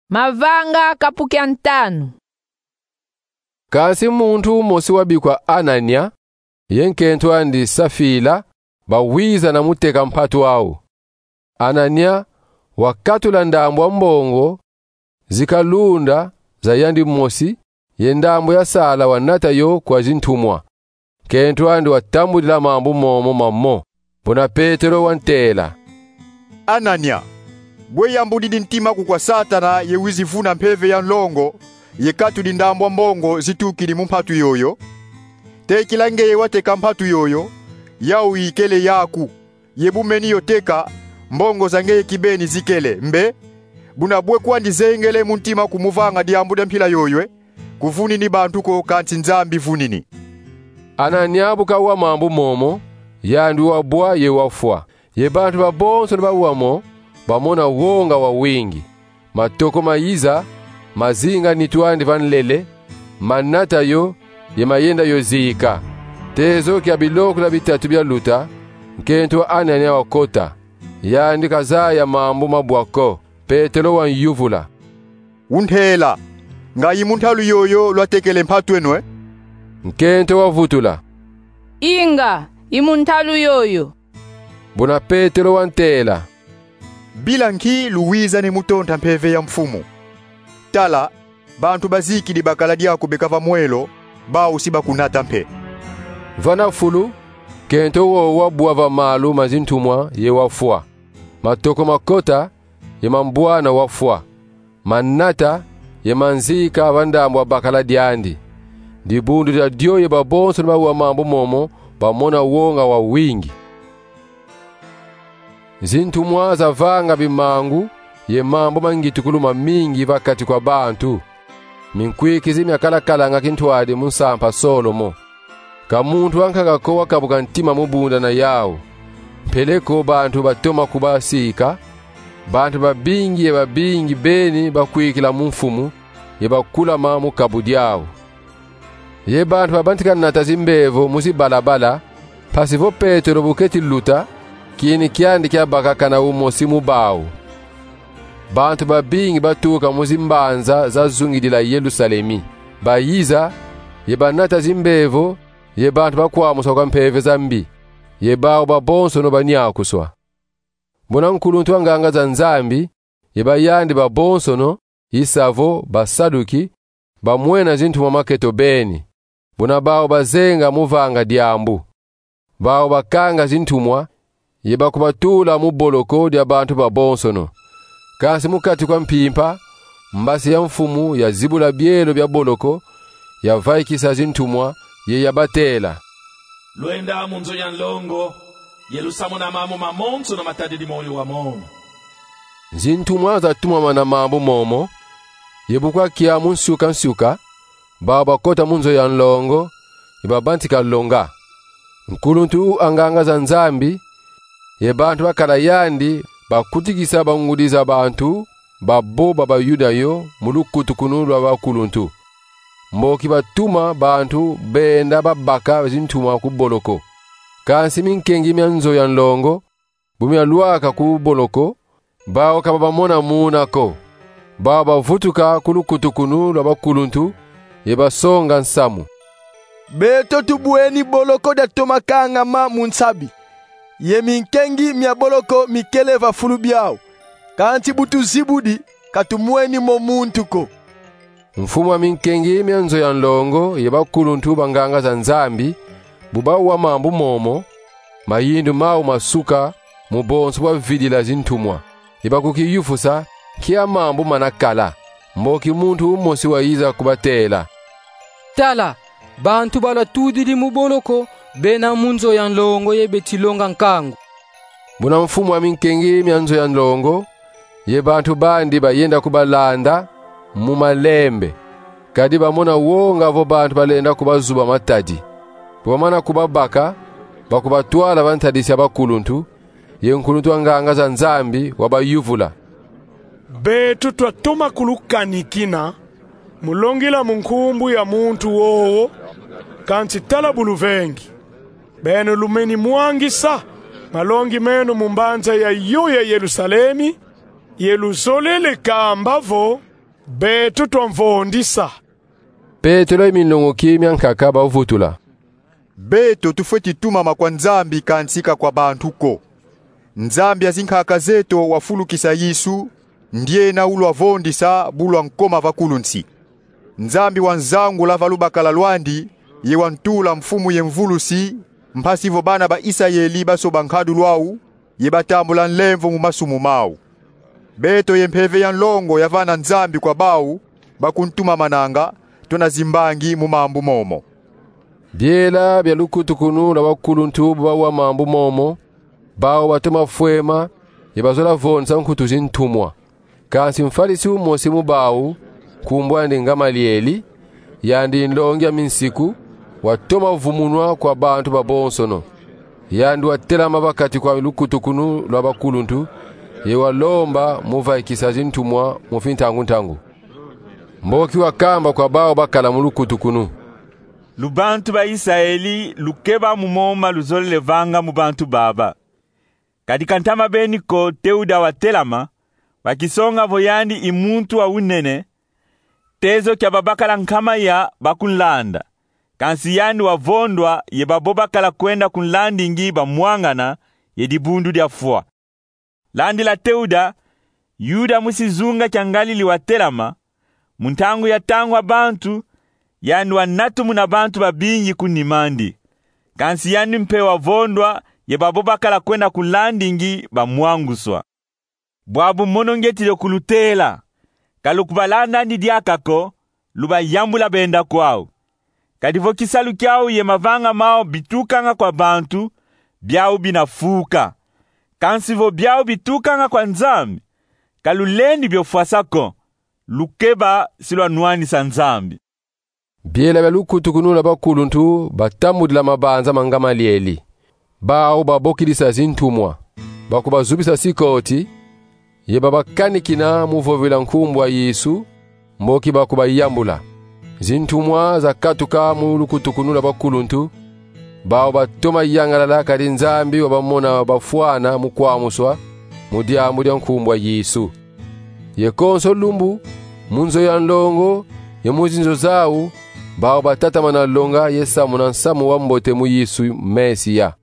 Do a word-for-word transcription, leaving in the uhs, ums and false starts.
Mavanga kapu kia ntanu. Kansi muntu mosi wabikwa Anania, ye nkento andi Safila, bawiza na muteka mpatu au. Anania wakatula ndambu a mbongo zikalunda za yandi mosi, ye ndambu ya sala wanata yo kwa zintumwa. Nkento andi watambudila mambu momo mamo. Buna Petelo wantela: Anania, bwe yambudidi ntima kukwa Satana ye wizi vuna mpeve ya nlongo, ye katudi ndambu a mbongo zitukidi mu mpatu yoyo? Tekila ngeye wateka mpatu yoyo, yau ikele yaku. Ye bu meni yo teka, mbongo za ngeye kibeni zikele. Mbe, buna bwe kwandi zengele mu ntima kumuvanga diambu dia mpila yoyo, e? Kuvunini bantu ko, kansi Nzambi vunini. Anania bu kawa mambu momo, yandi wabwa ye wafwa. Ye bantu babonsono bawa mo, bamona wonga wawingi. Matoko mayiza, mazinga nitu andi va nlele, manata yo, ye mayenda yo zika. Tezo kia bilokela bitatu bialuta, nkento wa Anania wakota. Yandi kazaya mambu mabwa ko. Petelo wanyuvula: Untela, nga i mu ntalu yoyo lwatekele mpatu eno, e? Nkento wavutula: Inga, i mu ntalu yoyo. Buna Petelo wantela: Bila nki luwizani mu tonta mpeve ya Mfumu? Tala, bantu bazikidi bakala diaku beka va mwelo, bau si bakunata mpe. Vana fulu, nkento wowo wabwa va malu ma zintumwa ye wafwa. Matoko makota, ye mambwana wafwa. Manata ye manzika va ndambu a bakala diandi. Dibundu dia dio ye babonsono bawa mambu momo bamona wonga wawingi. Zintumwa zavanga bimangu ye mambu ma ngitukulu mamingi va kati kwa bantu. Minkwikizi miakala kalanga kintwadi mu nsampa Solomo. Ka muntu ankaka ko wakabuka ntima mu bunda na yau. Mpeleko bantu batoma kubasika, bantu babingi ye babingi beni bakwikila mu Mfumu, ye bakulama mu kabu diau. Ye bantu babantika nata zimbevo mu zibalabala, mpasi vo Petelo bu keti luta, kini kiandi kiabaka kana umosi mu bau. Bantu babingi batuka mu zimbanza zazungidila Yerusalemi. Bayiza, ye banata zimbevo, ye bantu bakwamuswa kwa mpeve za mbi, ye bau babonsono banyakuswa. Buna nkuluntu a nganga za Nzambi, ye ba yandi babonsono, i sa vo Basaduki, bamwena zintumwa maketo beni. Buna bau bazenga mu vanga diambu. Bau bakanga zintumwa, ye bakubatula mu boloko dia bantu babonsono. Kansi mu kati kwa mpimpa, mbasi ya Mfumu yazibula bielo bia boloko, yavaikisa zintumwa, ye yabatela: Lwenda mu nzo ya nlongo, ye lusamuna mambu mamonsono matadidi moyo wa mono. Zintumwa zatumamana mambu momo, ye bu kwakia mu nsuka-nsuka, bau bakota mu nzo ya nlongo, ye babantika longa. Nkuluntu a nganga za Nzambi, ye bantu bakala yandi, bakutikisa bangudi za bantu babo ba Bayuda yo mu lukutukunu lwa bakuluntu. Mboki batuma bantu benda babaka zintumwa ku boloko. Kansi minkengi mia nzo ya nlongo, bu mialwaka ku boloko, bau ka babamona muna ko. Bau bavutuka ku lukutukunu lwa bakuluntu, ye basonga nsamu: Beto tubweni boloko diatoma kangama mu nsabi, ye minkengi mia boloko mikele va fulu biau. Kansi bu tuzibudi, ka tumweni mo muntu ko. Mfumu a minkengi mia nzo ya nlongo ye bakuluntu ba nganga za Nzambi, bu bawa mambu momo, mayindu mau masuka mu bonso bwa vidila zintumwa. Ye bakukiyufusa nkia mambu manakala. Mboki muntu umosi wayiza kubatela: Tala, bantu balwatudidi mu boloko, bena mu nzo ya nlongo ye beti longa nkangu. Buna mfumu a minkengi mia nzo ya nlongo ye bantu bandi bayenda kubalanda mu malembe, kadi bamona wonga vo bantu balenda kubazuba matadi. Bu bamana kubabaka, bakubatwala va ntadisi a bakuluntu, ye nkuluntu a nganga za Nzambi wabayuvula: Beto twatoma kulukanikina mu longila mu nkumbu ya muntu wowo, kansi tala bu luvengi. Beno lumeni mwangisa malongi meno mu mbanza yayo ya Yerusalemi, ye luzolele kamba vo Beto twamvondisa. Petelo ye minlongoki miankaka bavutula: Beto tufweti tumama kwa Nzambi, kansi ka kwa bantu ko. Nzambi a zinkaka zeto wafulukisa Yesu, ndiena ulwavondisa bu lwankoma va kulu nsi. Nzambi wanzangula va lubakala lwandi, ye wantula mfumu ye mvulusi, mpasi vo bana ba Isayeli basoba nkadulu au, ye batambula nlemvo mu masumu mau. Beto ye mpeve ya nlongo yavana Nzambi kwa bau bakuntumamananga, tuna zimbangi mu mambu momo. Biela bia lukutukunu lwa bakuluntu bu bawa mambu momo, bau batoma fwema, ye bazola vonsa nkutu zintumwa. Kansi mfalisi umosi mu bau, nkumbu andi Ngamalieli, yandi nlongi a minsiku, watoma vumunwa kwa bantu babonsono. Yandi watelama va kati kwa lukutukunu lwa bakuluntu, ye walomba mu vaikisa zintumwa mu fintangu-ntangu. Mboki wakamba kwa bau bakala mu lukutukunu: Lubantu ba Isayeli lukeba mu moma luzolele vanga mu bantu baba. Kadi ka ntama beni ko Teuda watelama, wakisonga vo yandi i muntu wa unene, tezo kia babakala nkama ya bakunlanda. Kansi yandi wavondwa, ye babo bakala kwenda kunlandingi bamwangana, ye dibundu diafwa. Landila Teuda, Yuda musi zunga kia Ngalili watelama, mu ntangu ya tangwa bantu, yandi wanatumuna bantu babingi ku nim'andi. Kansi yandi mpe wavondwa, ye babo bakala kwenda kunlandingi bamwanguswa. Bwabu mono ngieti dio kulutela, ka lukubalandandi diaka ko, lubayambula benda kwau. Kadi vo kisalu kiau ye mavanga mau bitukanga kwa bantu, biau binafuka. Kansi vo biau bitukanga kwa Nzambi, ka lulendi biofwasa ko, lukeba si lwanwanisa Nzambi. Biela bia lukutukunu lwa bakuluntu batambudila mabanza ma Ngamalieli. Bau babokidisa zintumwa, bakubazubisa sikoti, ye babakanikina mu vovila nkumbu a Yesu, mboki bakubayambula. Zintumwa zakatuka mu lukutukunu lwa bakuluntu, bau batoma yangalala, kadi Nzambi wabamona bafwana mu kwamuswa, mu diambu dia nkumbu a Yesu. Ye konso lumbu, mu nzo ya nlongo, ye mu zinzo zau, bau batatamana longa ye samuna nsamu wa mbote mu Yesu Mesia.